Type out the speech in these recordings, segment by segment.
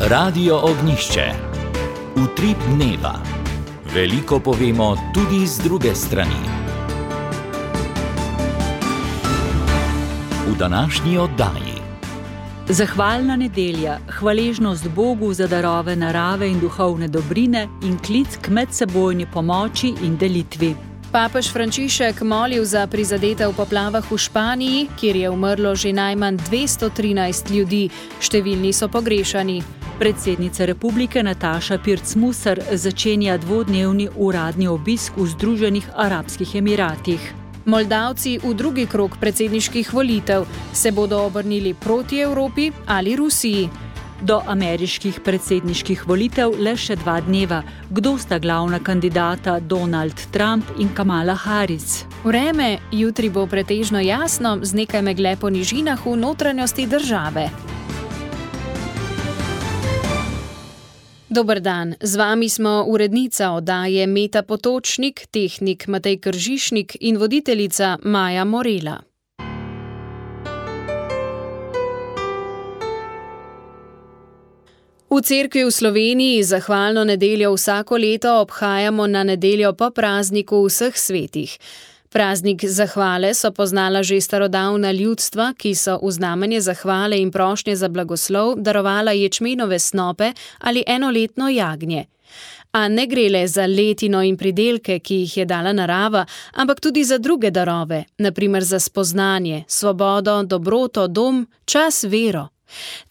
Radio Ognjišče. Utrip dneva. Veliko povemo tudi z druge strani. V današnji oddaji. Zahvalna nedelja, hvaležnost Bogu za darove narave in duhovne dobrine in klic k medsebojni pomoči in delitvi. Papež Frančišek molil za prizadete v poplavah v Španiji, kjer je umrlo že najmanj 213 ljudi, številni so pogrešani. Predsednica republike Nataša Pirc-Musar začenja dvodnevni uradni obisk v Združenih arabskih emiratih. Moldavci v drugi krog predsedniških volitev se bodo obrnili proti Evropi ali Rusiji. Do ameriških predsedniških volitev le še 2 dneva. Kdo sta glavna kandidata Donald Trump in Kamala Harris? Vreme jutri bo pretežno jasno, z nekaj megle po nižinah v notranjosti države. Dober dan, z vami smo urednica oddaje Meta Potočnik, tehnik Matej Kržišnik in voditeljica Maja Morela. V cerkvi v Sloveniji zahvalno nedeljo vsako leto obhajamo na nedeljo po prazniku vseh svetih. Praznik zahvale so poznala že starodavna ljudstva, ki so v znamenje zahvale in prošnje za blagoslov darovala ječmenove snope ali enoletno jagnje. A ne gre le za letino in pridelke, ki jih je dala narava, ampak tudi za druge darove, na primer za spoznanje, svobodo, dobroto, dom, čas, vero.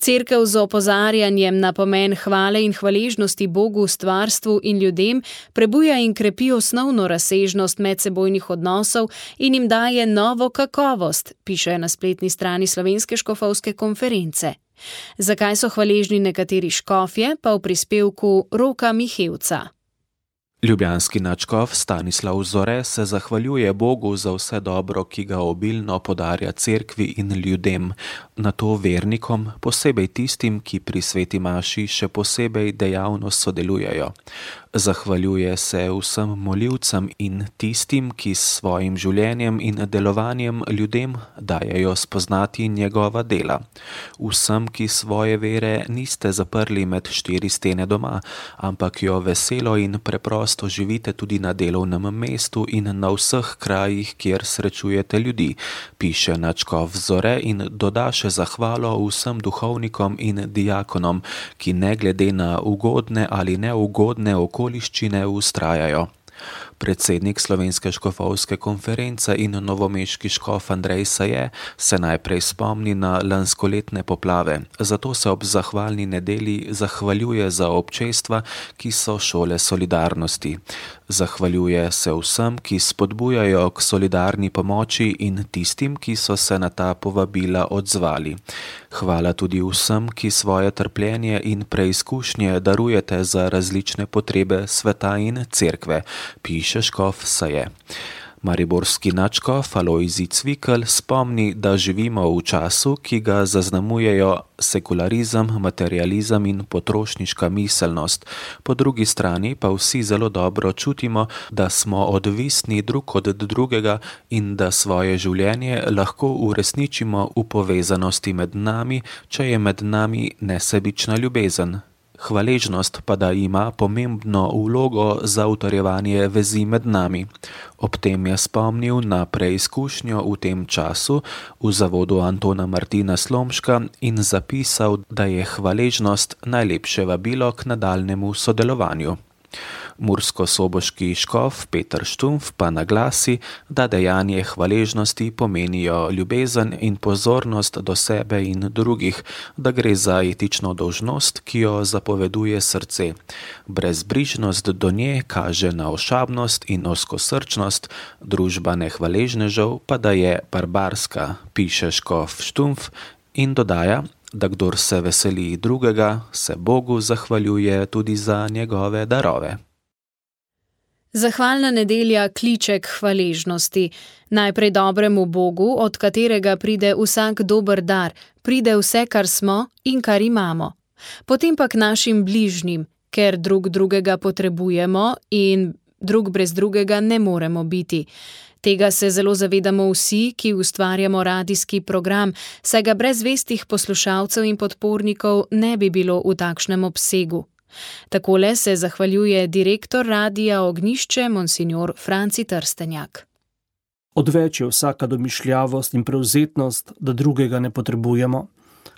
Cerkev z opozarjanjem na pomen hvale in hvaležnosti Bogu, stvarstvu in ljudem prebuja in krepi osnovno razsežnost medsebojnih odnosov in jim daje novo kakovost, piše na spletni strani Slovenske škofovske konference. Zakaj so hvaležni nekateri škofje, pa v prispevku Roka Mihevca. Ljubljanski nadškof Stanislav Zore se zahvaljuje Bogu za vse dobro, ki ga obilno podarja cerkvi in ljudem, nato vernikom, posebej tistim, ki pri sveti maši še posebej dejavno sodelujejo. Zahvaljuje se vsem molilcem in tistim, ki s svojim življenjem in delovanjem ljudem dajejo spoznati njegova dela. Vsem, ki svoje vere niste zaprli med 4 stene doma, ampak jo veselo in preprosto živite tudi na delovnem mestu in na vseh krajih, kjer srečujete ljudi, piše nadškof Zore in doda še zahvalo vsem duhovnikom in diakonom, ki ne glede na ugodne ali neugodne okoliščine vztrajajo. Predsednik Slovenske škofovske konference in novomeški škof Andrej Saje se najprej spomni na lanskoletne poplave, zato se ob zahvalni nedelji zahvaljuje za občestva, ki so šole solidarnosti. Zahvaljuje se vsem, ki spodbujajo k solidarni pomoči in tistim, ki so se na ta povabila odzvali. Hvala tudi vsem, ki svoje trpljenje in preizkušnje darujete za različne potrebe sveta in cerkve, piše škof Saje. Mariborski nadškof Alojzij Cvikl spomni, da živimo v času, ki ga zaznamujejo sekularizem, materializem in potrošniška miselnost. Po drugi strani pa vsi zelo dobro čutimo, da smo odvisni drug od drugega in da svoje življenje lahko uresničimo v povezanosti med nami, če je med nami nesebična ljubezen. Hvaležnost pa da ima pomembno vlogo za utrjevanje vezi med nami. Ob tem je spomnil na preizkušnjo v tem času v zavodu Antona Martina Slomška in zapisal, da je hvaležnost najlepše vabilo k nadaljnjemu sodelovanju. Mursko-soboški škof Peter Štumpf pa naglasi, da dejanje hvaležnosti pomenijo ljubezen in pozornost do sebe in drugih, da gre za etično dolžnost, ki jo zapoveduje srce. Brezbrižnost do nje kaže na ošabnost in ozkosrčnost, družba nehvaležnežev pa da je barbarska, piše škof Štumpf in dodaja, da kdor se veseli drugega, se Bogu zahvaljuje tudi za njegove darove. Zahvalna nedelja kliče k hvaležnosti. Najprej dobremu Bogu, od katerega pride vsak dober dar, pride vse, kar smo in kar imamo. Potem pa k našim bližnjim, ker drug drugega potrebujemo in drug brez drugega ne moremo biti. Tega se zelo zavedamo vsi, ki ustvarjamo radijski program, saj ga brez zvestih poslušalcev in podpornikov ne bi bilo v takšnem obsegu. Takole se zahvaljuje direktor Radia Ognjišče, monsignor Franci Trstenjak. Odveč je vsaka domišljavost in prevzetnost, da drugega ne potrebujemo.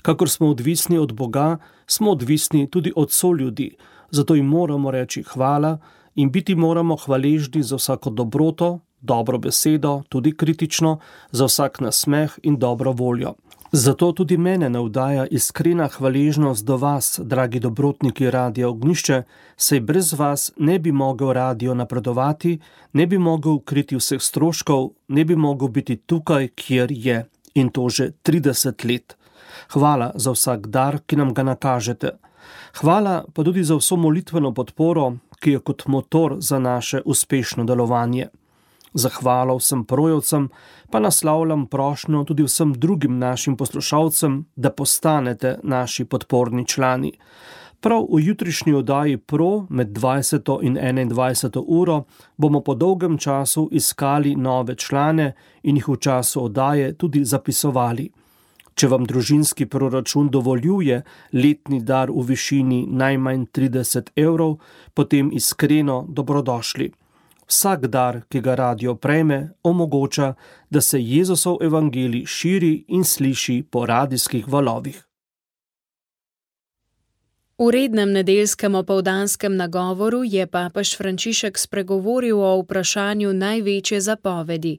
Kakor smo odvisni od Boga, smo odvisni tudi od soljudi, zato jim moramo reči hvala in biti moramo hvaležni za vsako dobroto, dobro besedo, tudi kritično, za vsak nasmeh in dobro voljo. Zato tudi mene navdaja iskrena hvaležnost do vas, dragi dobrotniki Radia Ognjišče, saj brez vas ne bi mogel radio napredovati, ne bi mogel kriti vseh stroškov, ne bi mogel biti tukaj, kjer je, in to že 30 let. Hvala za vsak dar, ki nam ga nakažete. Hvala pa tudi za vso molitveno podporo, ki je kot motor za naše uspešno delovanje. Zahvalo vsem projevcem, pa naslavljam prošnjo tudi vsem drugim našim poslušalcem, da postanete naši podporni člani. Prav v jutrišnji oddaji Pro med 20. in 21. uro bomo po dolgem času iskali nove člane in jih v času oddaje tudi zapisovali. Če vam družinski proračun dovoljuje letni dar v višini najmanj 30 €, potem iskreno dobrodošli. Vsak dar, ki ga radio prejme, omogoča, da se Jezusov evangelij širi in sliši po radijskih valovih. V rednem nedeljskem opoldanskem nagovoru je papež Frančišek spregovoril o vprašanju največje zapovedi.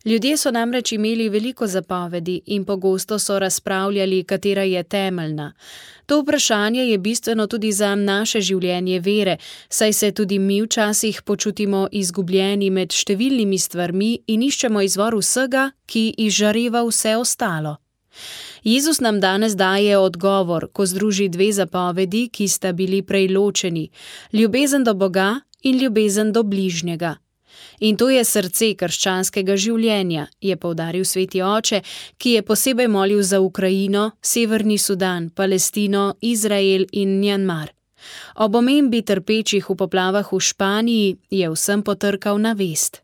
Ljudje so namreč imeli veliko zapovedi in pogosto so razpravljali, katera je temeljna. To vprašanje je bistveno tudi za naše življenje vere, saj se tudi mi včasih počutimo izgubljeni med številnimi stvarmi in iščemo izvor vsega, ki izžareva vse ostalo. Jezus nam danes daje odgovor, ko združi dve zapovedi, ki sta bili prej ločeni, ljubezen do Boga in ljubezen do bližnjega. In to je srce krščanskega življenja, je poudaril sveti oče, ki je posebej molil za Ukrajino, Severni Sudan, Palestino, Izrael in Mjanmar. Ob omembi trpečih v poplavah v Španiji je vsem potrkal na vest.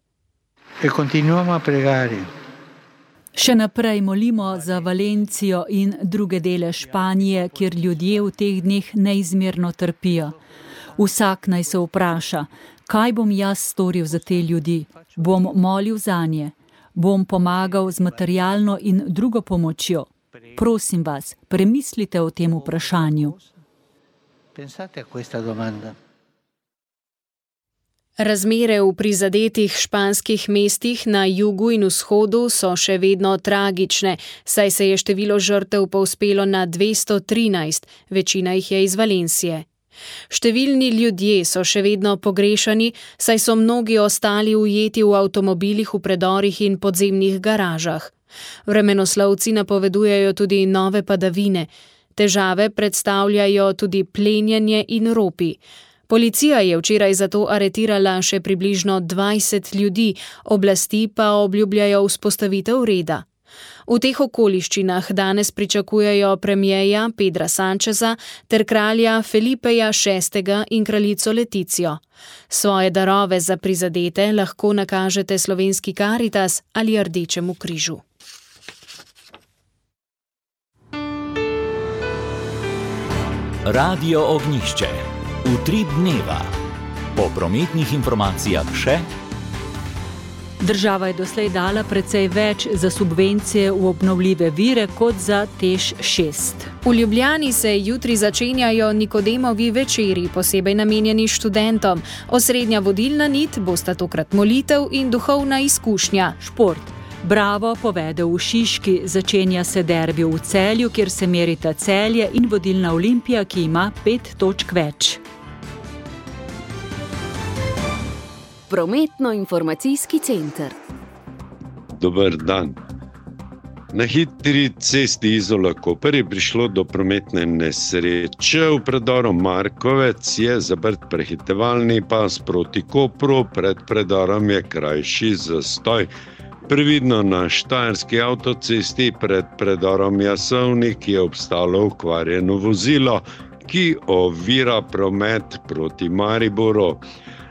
Še naprej molimo za Valencijo in druge dele Španije, kjer ljudje v teh dneh neizmerno trpijo. Vsak naj se vpraša, kaj bom jaz storil za te ljudi? Bom molil zanje? Bom pomagal z materialno in drugo pomočjo? Prosim vas, premislite o tem vprašanju. Razmere v prizadetih španskih mestih na jugu in vzhodu so še vedno tragične, saj se je število žrtev povzpelo na 213, večina jih je iz Valencije. Številni ljudje so še vedno pogrešani, saj so mnogi ostali ujeti v avtomobilih v predorih in podzemnih garažah. Vremenoslovci napovedujejo tudi nove padavine. Težave predstavljajo tudi plenjenje in ropi. Policija je včeraj zato aretirala še približno 20 ljudi, oblasti pa obljubljajo vzpostavitev reda. V teh okoliščinah danes pričakujejo premierja Pedra Sancheza ter kralja Felipeja VI. In kraljico Leticijo. Svoje darove za prizadete lahko nakažete Slovenski Karitas ali Rdečemu križu. Radio Ognjišče. Utrip dneva. Po prometnih informacijah še. Država je doslej dala precej več za subvencije v obnovljive vire kot za TEŠ 6. V Ljubljani se jutri začenjajo Nikodemovi večeri, posebej namenjeni študentom. Osrednja vodilna nit bosta tokrat molitev in duhovna izkušnja. Šport. Bravo povede v Šiški, začenja se derbi v Celju, kjer se merita Celje in vodilna Olimpija, ki ima 5 točk več. Prometno-informacijski center. Dober dan. Na hitri cesti Izola-Koper je prišlo do prometne nesreče. V predoru Markovec je zaprt prehitevalni pas proti Kopru, pred predorom je krajši zastoj. Previdno na štajerski avtocesti pred predorom Jasovnik je obstalo okvarjeno vozilo, ki ovira promet proti Mariboru.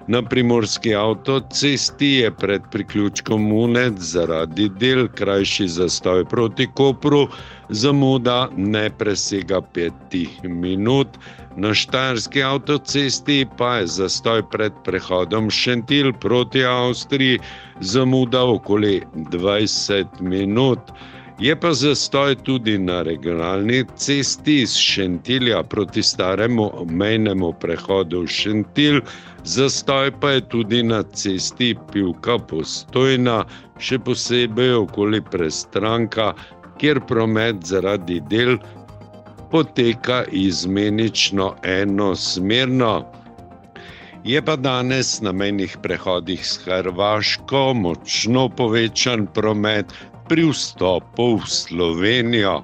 Na primorski avtocesti je pred priključkom Unec zaradi del krajši zastoj proti Kopru, zamuda ne presega 5 minut. Na štajerski avtocesti pa je zastoj pred prehodom Šentilj proti Avstriji, zamuda okoli 20 minut. Je pa zastoj tudi na regionalni cesti iz Šentilja proti staremu mejnemu prehodu Šentilj, zastoj pa je tudi na cesti Pivka-Postojna, še posebej okoli Prestranka, kjer promet zaradi del poteka izmenično enosmerno. Je pa danes na mejnih prehodih s Hrvaško močno povečan promet pri vstopu v Slovenijo.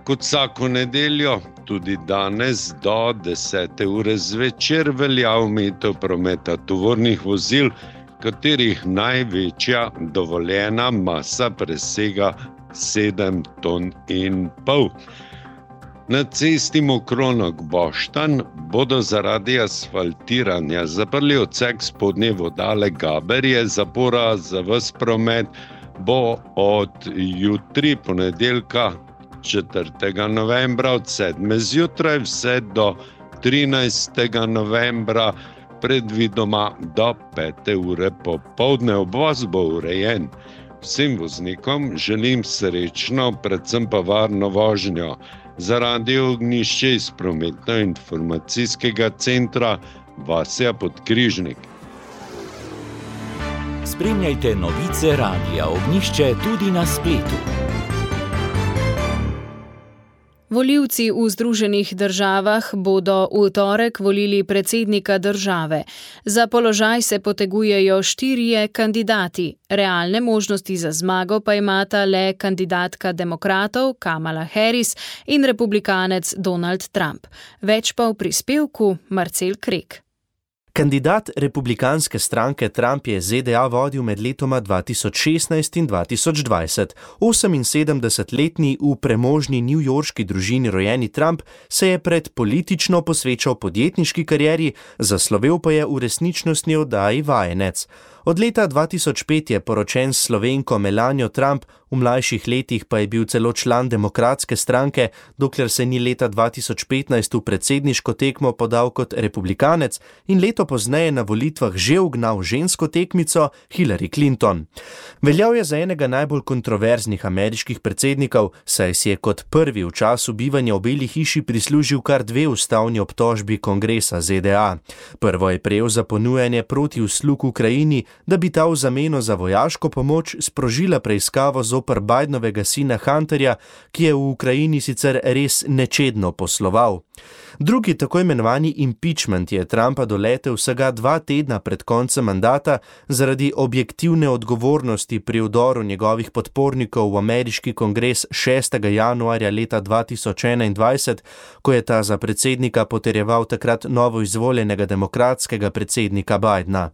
Kot vsako nedeljo, tudi danes do 10. ure zvečer velja omejitev prometa tovornih vozil, katerih največja dovoljena masa presega 7,5 ton. Na cesti Mokronog-Boštanj bodo zaradi asfaltiranja zaprli odsek spodnje vodale Gaberje, zapora za ves promet bo od jutri, ponedeljka 4. novembra od 7. zjutraj vse do 13. novembra, predvidoma do 5. ure popoldne. Obvoz bo urejen. Vsem voznikom želim srečno, predvsem pa varno vožnjo. Za Radio Ognjišče iz prometno-informacijskega centra Vasja Podkrižnik. Spremljajte novice Radia Ognjišče tudi na spletu. Volivci v Združenih državah bodo v torek volili predsednika države. Za položaj se potegujejo 4 kandidati. Realne možnosti za zmago pa imata le kandidatka demokratov Kamala Harris in republikanec Donald Trump. Več pa v prispevku Marcel Krek. Kandidat republikanske stranke Trump je ZDA vodil med letoma 2016 in 2020. 78-letni v premožni newyorški družini rojeni Trump se je pred politično posvečal podjetniški karieri, zaslovel pa je v resničnostni oddaji Vajenec. Od leta 2005 je poročen s Slovenko Melanijo Trump, v mlajših letih pa je bil celo član demokratske stranke, dokler se ni leta 2015 v predsedniško tekmo podal kot republikanec in leto pozneje na volitvah že ugnal žensko tekmico Hillary Clinton. Veljal je za enega najbolj kontroverznih ameriških predsednikov, saj si je kot prvi v času bivanja v Beli hiši prislužil kar 2 ustavni obtožbi kongresa ZDA. Prvo je prejel za ponujanje proti uslug Ukrajini, da bi ta v zameno za vojaško pomoč sprožila preiskavo zoper Bidenovega sina Hunterja, ki je v Ukrajini sicer res nečedno posloval. Drugi, tako imenovani impeachment, je Trumpa doletel vsega 2 tedna pred koncem mandata zaradi objektivne odgovornosti pri vdoru njegovih podpornikov v ameriški kongres 6. januarja leta 2021, ko je ta za predsednika potrjeval takrat novo izvoljenega demokratskega predsednika Bidena.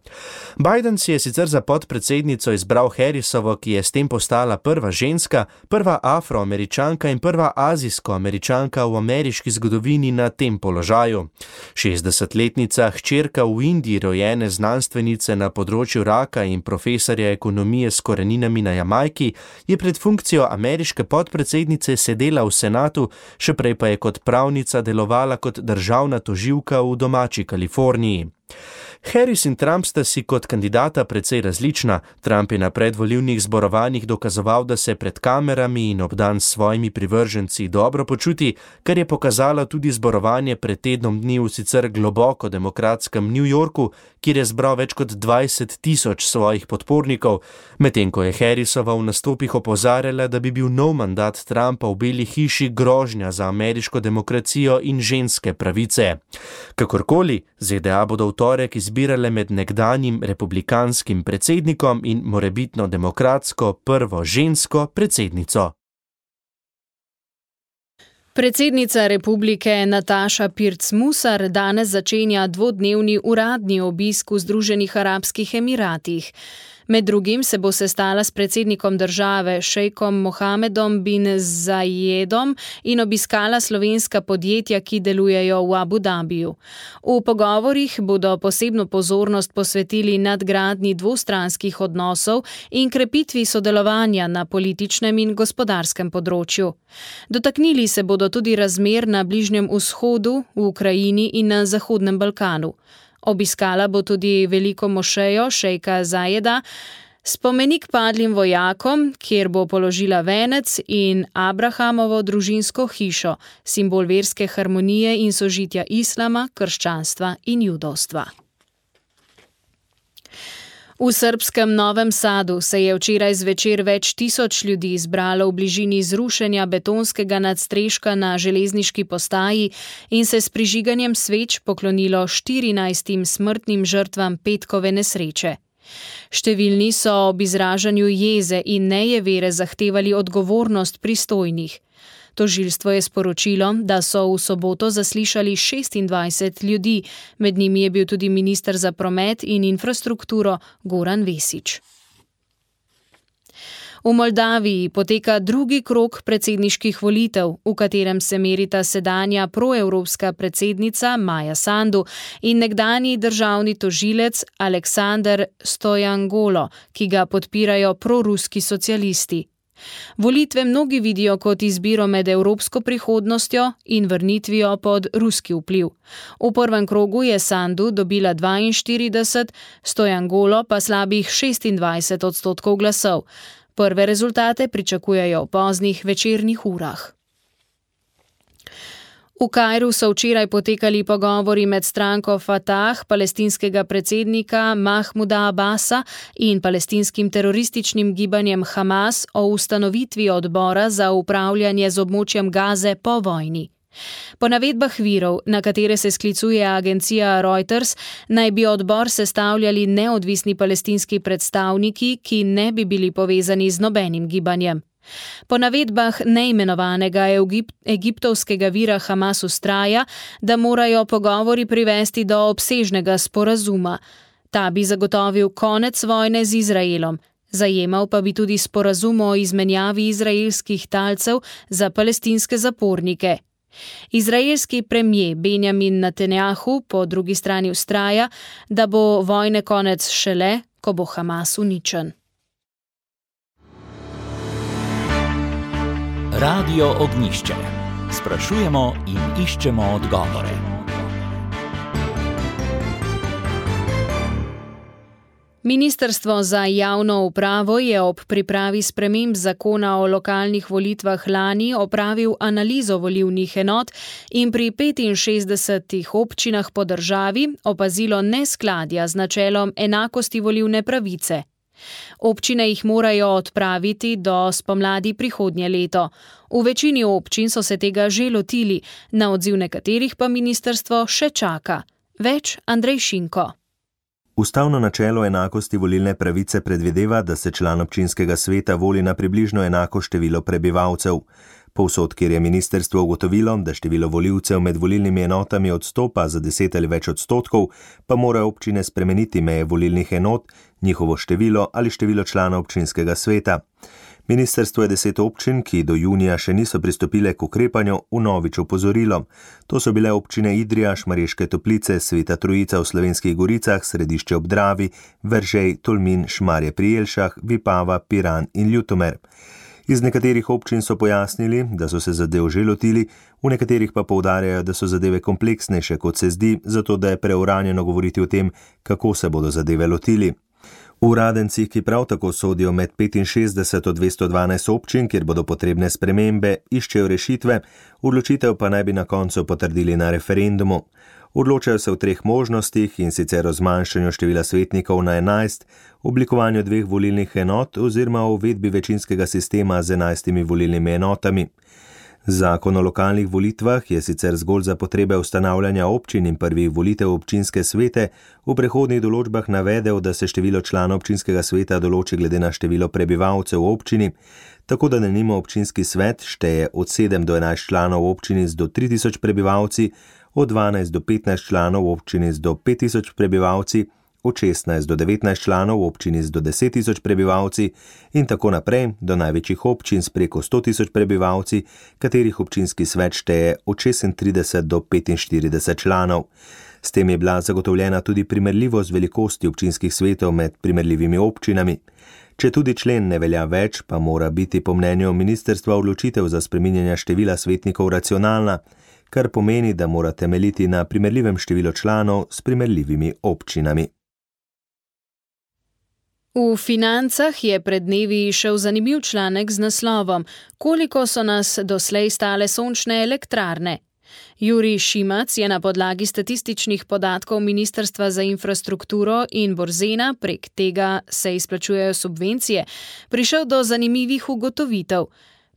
Biden si je sicer za podpredsednico izbral Harrisovo, ki je s tem postala prva ženska, prva afroameričanka in prva azijsko-američanka v ameriški zgodovini na tem položaju. 60-letnica hčerka v Indiji rojene znanstvenice na področju raka in profesorja ekonomije s koreninami na Jamajki je pred funkcijo ameriške podpredsednice sedela v senatu, še prej pa je kot pravnica delovala kot državna tožilka v domači Kaliforniji. Harris in Trump sta si kot kandidata precej različna. Trump je na predvolilnih zborovanjih dokazoval, da se pred kamerami in obdan s svojimi privrženci dobro počuti, kar je pokazalo tudi zborovanje pred tednom dni v sicer globoko demokratskem New Yorku, kjer je zbral več kot 20,000 svojih podpornikov, medtem ko je Harrisova v nastopih opozarjala, da bi bil nov mandat Trumpa v Beli hiši grožnja za ameriško demokracijo in ženske pravice. Kakorkoli, ZDA bodo v torek izbirale med nekdanjim republikanskim predsednikom in morebitno demokratsko prvo žensko predsednico. Predsednica republike Nataša Pirc-Musar danes začenja 2-dnevni uradni obisk v Združenih arabskih emiratih. Med drugim se bo sestala s predsednikom države šejkom Mohamedom bin Zayedom in obiskala slovenska podjetja, ki delujejo v Abu Dhabiju. V pogovorih bodo posebno pozornost posvetili nadgradnji dvostranskih odnosov in krepitvi sodelovanja na političnem in gospodarskem področju. Dotaknili se bodo tudi razmer na Bližnjem vzhodu, v Ukrajini in na Zahodnem Balkanu. Obiskala bo tudi veliko mošejo šejka Zajeda, spomenik padlim vojakom, kjer bo položila venec, in Abrahamovo družinsko hišo, simbol verske harmonije in sožitja islama, krščanstva in judovstva. V srbskem Novem Sadu se je včeraj zvečer več tisoč ljudi zbralo v bližini zrušenja betonskega nadstreška na železniški postaji in se s prižiganjem sveč poklonilo 14 smrtnim žrtvam petkove nesreče. Številni so ob izražanju jeze in nejevere zahtevali odgovornost pristojnih. Tožilstvo je sporočilo, da so v soboto zaslišali 26 ljudi, med njimi je bil tudi minister za promet in infrastrukturo Goran Vesić. V Moldaviji poteka drugi krog predsedniških volitev, v katerem se merita sedanja proevropska predsednica Maja Sandu in nekdanji državni tožilec Aleksandar Stojanoglo, ki ga podpirajo proruski socialisti. Volitve mnogi vidijo kot izbiro med evropsko prihodnostjo in vrnitvijo pod ruski vpliv. V prvem krogu je Sandu dobila 42, Stojanoglo pa slabih 26% glasov. Prve rezultate pričakujejo v poznih večernih urah. V Kairu so včeraj potekali pogovori med stranko Fatah, palestinskega predsednika Mahmuda Abbasa in palestinskim terorističnim gibanjem Hamas o ustanovitvi odbora za upravljanje z območjem Gaze po vojni. Po navedbah virov, na katere se sklicuje agencija Reuters, naj bi odbor sestavljali neodvisni palestinski predstavniki, ki ne bi bili povezani z nobenim gibanjem. Po navedbah neimenovanega egiptovskega vira Hamas vztraja, da morajo pogovori privesti do obsežnega sporazuma. Ta bi zagotovil konec vojne z Izraelom. Zajemal pa bi tudi sporazum o izmenjavi izraelskih talcev za palestinske zapornike. Izraelski premier Benjamin Netanjahu po drugi strani vztraja, da bo vojne konec šele, ko bo Hamas uničen. Radio Ognjišče. Sprašujemo in iščemo odgovore. Ministrstvo za javno upravo je ob pripravi sprememb zakona o lokalnih volitvah lani opravil analizo volilnih enot in pri 65 občinah po državi opazilo neskladja z načelom enakosti volilne pravice. Občine jih morajo odpraviti do spomladi prihodnje leto. V večini občin so se tega že lotili, na odziv nekaterih pa ministrstvo še čaka. Več Andrej Šinko. Ustavno načelo enakosti volilne pravice predvideva, da se član občinskega sveta voli na približno enako število prebivalcev. Povsod, kjer je ministrstvo ugotovilo, da število volivcev med volilnimi enotami odstopa za 10 ali več odstotkov, pa morajo občine spremeniti meje volilnih enot, njihovo število ali število članov občinskega sveta. Ministrstvo je 10 občin, ki do junija še niso pristopile k ukrepanju, vnovič opozorilo. To so bile občine Idrija, Šmarješke Toplice, Sveta Trojica v Slovenskih Goricah, Središče ob Dravi, Veržej, Tolmin, Šmarje pri Jelšah, Vipava, Piran in Ljutomer. Iz nekaterih občin so pojasnili, da so se zadev že lotili, v nekaterih pa poudarjajo, da so zadeve kompleksnejše, kot se zdi, zato da je preuranjeno govoriti o tem, kako se bodo zadeve lotili. Uradenci, ki prav tako sodijo med 65 od 212 občin, kjer bodo potrebne spremembe, iščejo rešitve, odločitev pa naj bi na koncu potrdili na referendumu. Odločajo se v 3 možnostih, in sicer o zmanjšanju števila svetnikov na 11, oblikovanju 2 volilnih enot oziroma o uvedbi večinskega sistema z 11 volilnimi enotami. Zakon o lokalnih volitvah je sicer zgolj za potrebe ustanavljanja občin in prvih volitev občinske svete v prehodnih določbah navedel, da se število članov občinskega sveta določi glede na število prebivalcev v občini, tako da denimo občinski svet šteje od 7 do 11 članov v občini z do 3000 prebivalci, od 12 do 15 članov v občini z do 5000 prebivalci, od 16 do 19 članov v občini z do 10 tisoč prebivalci in tako naprej do največjih občin s preko 100 tisoč prebivalci, katerih občinski svet šteje od 36 do 45 članov. S tem je bila zagotovljena tudi primerljivost velikosti občinskih svetov med primerljivimi občinami. Če tudi člen ne velja več, pa mora biti po mnenju ministrstva odločitev za spreminjanje števila svetnikov racionalna, kar pomeni, da mora temeljiti na primerljivem številu članov s primerljivimi občinami. V Financah je pred dnevi šel zanimiv članek z naslovom Koliko so nas doslej stale sončne elektrarne? Jurij Šimac je na podlagi statističnih podatkov Ministrstva za infrastrukturo in Borzena, prek tega se izplačujejo subvencije, prišel do zanimivih ugotovitev.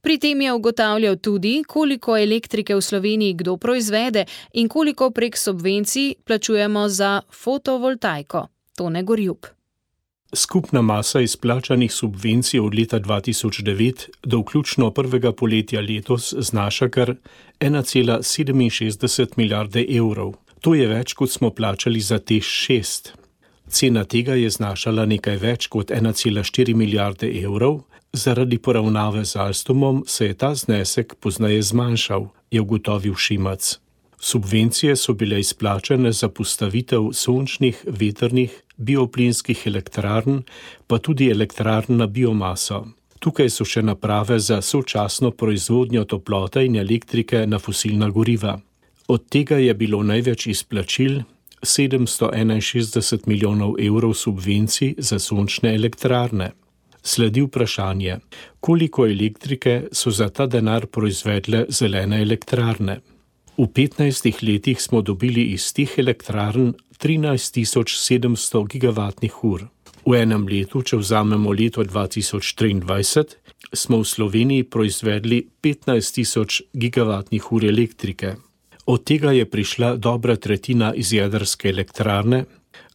Pri tem je ugotavljal tudi, koliko elektrike v Sloveniji kdo proizvede in koliko prek subvencij plačujemo za fotovoltaiko. Tone Gorjup. Skupna masa izplačanih subvencij od leta 2009 do vključno prvega poletja letos znaša kar 1,67 milijarde evrov. To je več, kot smo plačali za TEŠ 6. Cena tega je znašala nekaj več kot 1,4 milijarde evrov, zaradi poravnave z Alstomom se je ta znesek pozneje zmanjšal, je ugotovil Šimac. Subvencije so bile izplačane za postavitev sončnih, vetrnih, bioplinskih elektrarn, pa tudi elektrarn na biomaso. Tukaj so še naprave za sočasno proizvodnjo toplote in elektrike na fosilna goriva. Od tega je bilo največ izplačil 761 milijonov evrov subvencij za sončne elektrarne. Sledi vprašanje, koliko elektrike so za ta denar proizvedle zelene elektrarne. V 15 letih smo dobili iz teh elektrarn 13.700 gigavatnih ur. V enem letu, če vzamemo leto 2023, smo v Sloveniji proizvedli 15.000 gigavatnih ur elektrike. Od tega je prišla dobra tretjina iz jedrske elektrarne,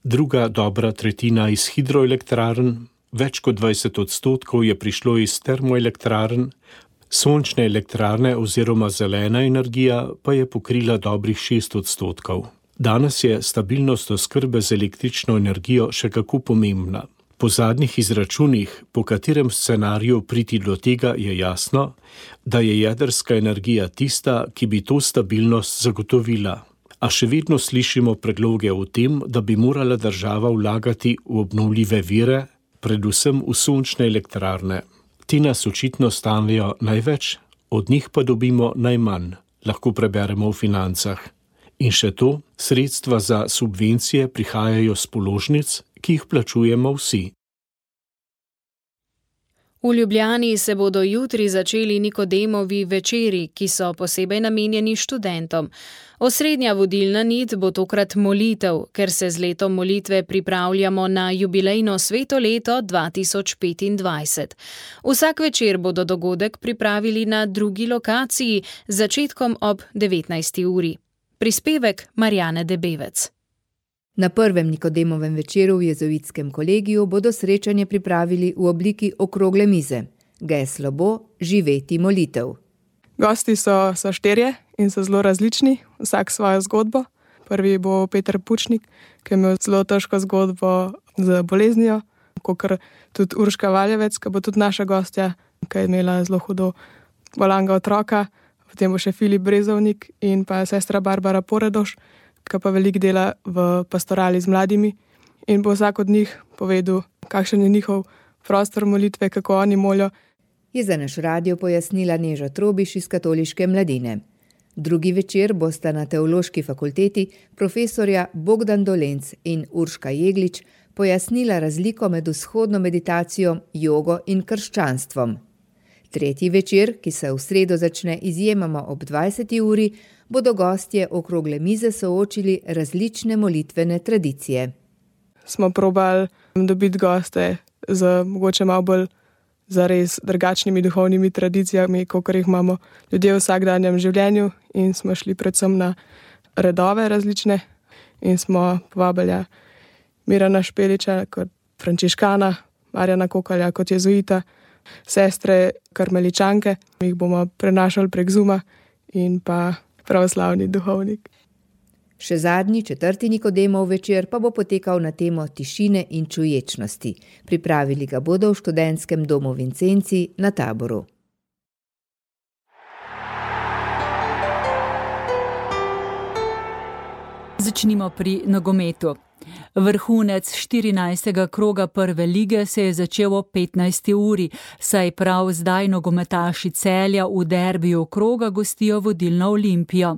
druga dobra tretjina iz hidroelektrarn, več kot 20% je prišlo iz termoelektrarn, sončne elektrarne oziroma zelena energija pa je pokrila dobrih 6%. Danes je stabilnost oskrbe z električno energijo še kako pomembna. Po zadnjih izračunih, po katerem scenariju priti do tega, je jasno, da je jedrska energija tista, ki bi to stabilnost zagotovila. A še vedno slišimo predloge o tem, da bi morala država vlagati v obnovljive vire, predvsem v sončne elektrarne. Ti nas očitno stanejo največ, od njih pa dobimo najmanj, lahko preberemo v Financah. In še to, sredstva za subvencije prihajajo z položnic, ki jih plačujemo vsi. V Ljubljani se bodo jutri začeli Nikodemovi večeri, ki so posebej namenjeni študentom. Osrednja vodilna nit bo tokrat molitev, ker se z letom molitve pripravljamo na jubilejno sveto leto 2025. Vsak večer bodo dogodek pripravili na drugi lokaciji z začetkom ob 19. uri. Prispevek Marjane Debevec. Na prvem Nikodemovem večeru v jezuitskem kolegiju bodo srečanje pripravili v obliki okrogle mize. Geslo bo živeti molitev. Gosti so štirje in so zelo različni, vsak svojo zgodbo. Prvi bo Peter Pučnik, ki je imel zelo težko zgodbo z boleznijo, kakor tudi Urška Valjevec, ki bo tudi naša gostja, ki je imela zelo hudo bolanga otroka. Potem bo še Filip Brezovnik in pa sestra Barbara Poredoš, ki pa veliko dela v pastorali z mladimi in bo vsak od njih povedal, kakšen je njihov prostor molitve, kako oni molijo. Je za naš radio pojasnila Neža Trobiš iz Katoliške mladine. Drugi večer bosta na Teološki fakulteti profesorja Bogdan Dolenc in Urška Jeglič pojasnila razliko med vzhodno meditacijo, jogo in krščanstvom. Tretji večer, ki se v sredo začne izjemoma ob 20. uri, bodo gostje okrogle mize soočili različne molitvene tradicije. Smo probali dobiti goste z mogoče malo bolj zares drugačnimi duhovnimi tradicijami, kakor jih imamo ljudje v vsakdanjem življenju, in smo šli predvsem na redove različne in smo povabili Mirana Špeliča kot frančiškana, Marjana Kokalja kot jezuita, sestre karmeličanke, jih bomo prenašali prek Zooma, in pa pravoslavni duhovnik. Še zadnji, 4. Nikodemov večer pa bo potekal na temo tišine in čuječnosti. Pripravili ga bodo v študentskem domu Vincenci na Taboru. Začnimo pri nogometu. Vrhunec 14. kroga prve lige se je začel ob 15. uri, saj prav zdaj nogometaši Celja v derbiju kroga gostijo vodilno Olimpijo.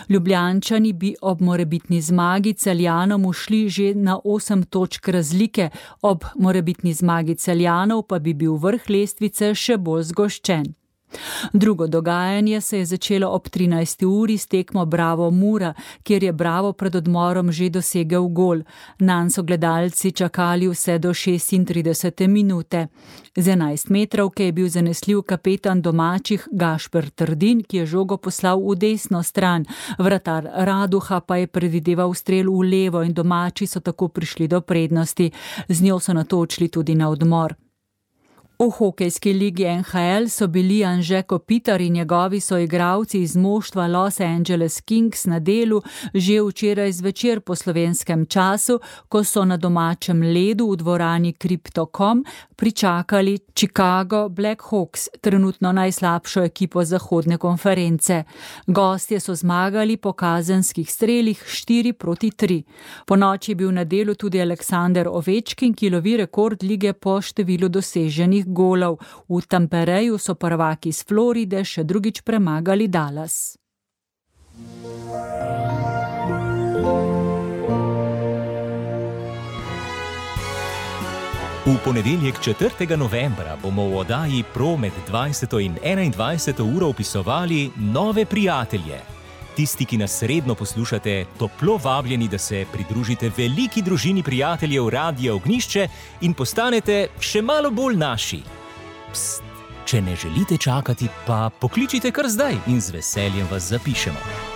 Ljubljančani bi ob morebitni zmagi Celjanom ušli že na 8 točk razlike, ob morebitni zmagi Celjanov pa bi bil vrh lestvice še bolj zgoščen. Drugo dogajanje se je začelo ob 13. uri s tekmo Bravo Mura, kjer je Bravo pred odmorom že dosegel gol. Nanj so gledalci čakali vse do 36. minute. Z 11 metrovke je bil zanesljiv kapetan domačih Gašper Trdin, ki je žogo poslal v desno stran. Vratar Raduha pa je predvideval strel v levo in domači so tako prišli do prednosti. Z njo so nato odšli tudi na odmor. V hokejski ligi NHL so bili Anže Kopitar in njegovi soigralci iz moštva Los Angeles Kings na delu že včeraj zvečer po slovenskem času, ko so na domačem ledu v dvorani Crypto.com pričakali Chicago Blackhawks, trenutno najslabšo ekipo zahodne konference. Gostje so zmagali po kazenskih strelih 4-3. Ponoči je bil na delu tudi Aleksander Ovečkin, ki lovi rekord lige po številu doseženih golov. V Tampereju so prvaki iz Floride še drugič premagali Dallas. V ponedeljek 4. novembra bomo v oddaji Pro med 20. in 21. uro opisovali nove prijatelje. Tisti, ki nas redno poslušate, toplo vabljeni, da se pridružite veliki družini prijateljev Radia Ognjišče in postanete še malo bolj naši. Pst, če ne želite čakati, pa pokličite kar zdaj in z veseljem vas zapišemo.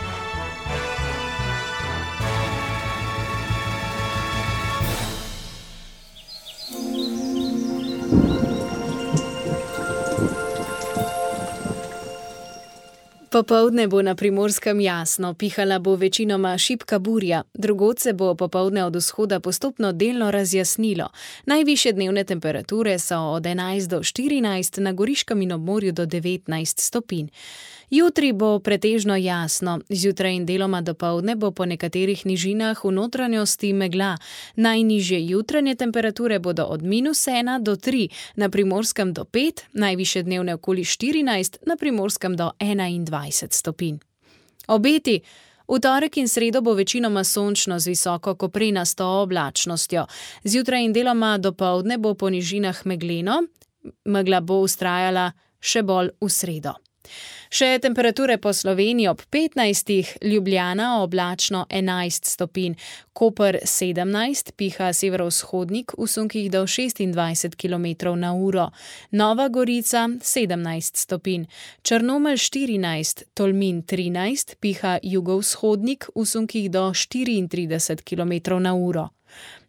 Popoldne bo na Primorskem jasno, pihala bo večinoma šibka burja, drugod se bo popoldne od vzhoda postopno delno razjasnilo. Najvišje dnevne temperature so od 11 do 14, na Goriškem in obmorju do 19 stopinj. Jutri bo pretežno jasno, zjutraj in deloma dopoldne bo po nekaterih nižinah v notranjosti megla. Najnižje jutranje temperature bodo od -1 do 3, na Primorskem do 5, najvišje dnevne okoli 14, na Primorskem do 21 stopinj. Obeti. V torek in sredo bo večinoma sončno z visoko koprenasto oblačnostjo. Zjutraj in deloma dopoldne bo po nižinah megleno, megla bo vztrajala še bolj v sredo. Še temperature po Sloveniji ob 15, Ljubljana oblačno 11 stopinj, Koper 17, piha severovzhodnik v sunkih do 26 km/h, Nova Gorica 17 stopinj, Črnomelj 14, Tolmin 13, piha jugovzhodnik v sunkih do 34 km/h.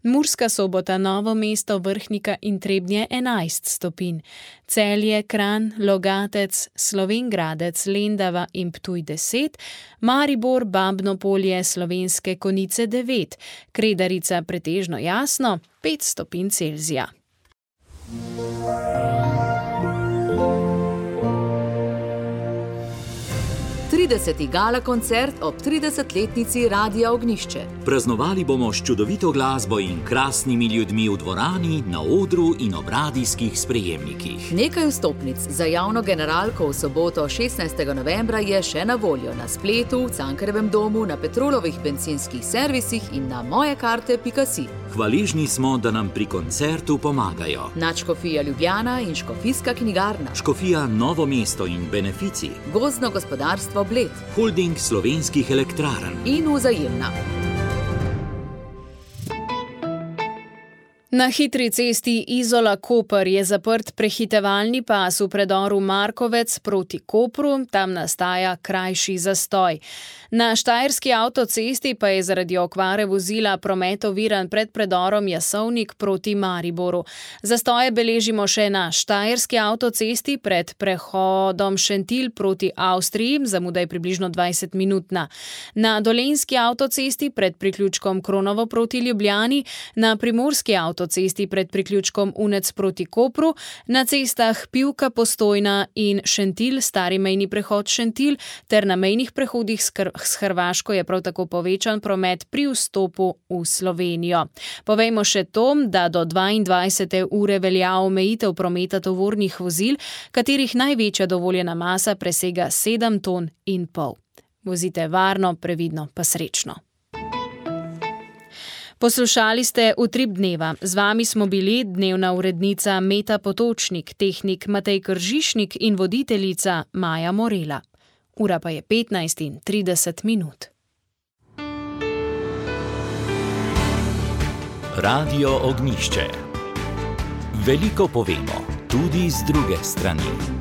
Murska Sobota, Novo mesto, Vrhnika in Trebnje 11 stopinj, Celje, Kranj, Logatec, Slovenj Gradec, Lendava in Ptuj 10, Maribor, Babno Polje, Slovenske Konjice 9, Kredarica pretežno jasno 5 stopinj Celzija. 30. gala koncert ob 30-letnici Radia Ognjišče. Praznovali bomo s čudovito glasbo in krasnimi ljudmi v dvorani, na odru in ob radijskih sprejemnikih. Nekaj vstopnic za javno generalko v soboto 16. novembra je še na voljo na spletu, v Cankarjevem domu, na Petrolovih bencinskih servisih in na mojekarte.si. Hvaležni smo, da nam pri koncertu pomagajo Nadškofija Ljubljana in Škofijska knjigarna, Škofija Novo mesto in Benefici, Gozdno gospodarstvo Bled, Holding slovenskih elektrarn in Vzajemna. Na hitri cesti Izola-Koper je zaprt prehitevalni pas v predoru Markovec proti Kopru, tam nastaja krajši zastoj. Na štajerski avtocesti pa je zaradi okvare vozila promet oviran pred predorom Jasovnik proti Mariboru. Zastoje beležimo še na štajerski avtocesti pred prehodom Šentilj proti Avstriji, zamuda je približno 20 minutna. Na dolenjski avtocesti pred priključkom Kronovo proti Ljubljani, na primorski avtocesti pred priključkom Unec proti Kopru, na cestah Pivka, Postojna in Šentilj, stari mejni prehod Šentilj, ter na mejnih prehodih s Hrvaško je prav tako povečan promet pri vstopu v Slovenijo. Povejmo še to, da do 22. ure velja omejitev prometa tovornih vozil, katerih največja dovoljena masa presega 7,5 ton. Vozite varno, previdno pa srečno. Poslušali ste Utrip dneva. Z vami smo bili dnevna urednica Meta Potočnik, tehnik Matej Kržišnik in voditeljica Maja Morela. Ura pa je 15:30. Radio Ognjišče. Veliko povemo, tudi z druge strani.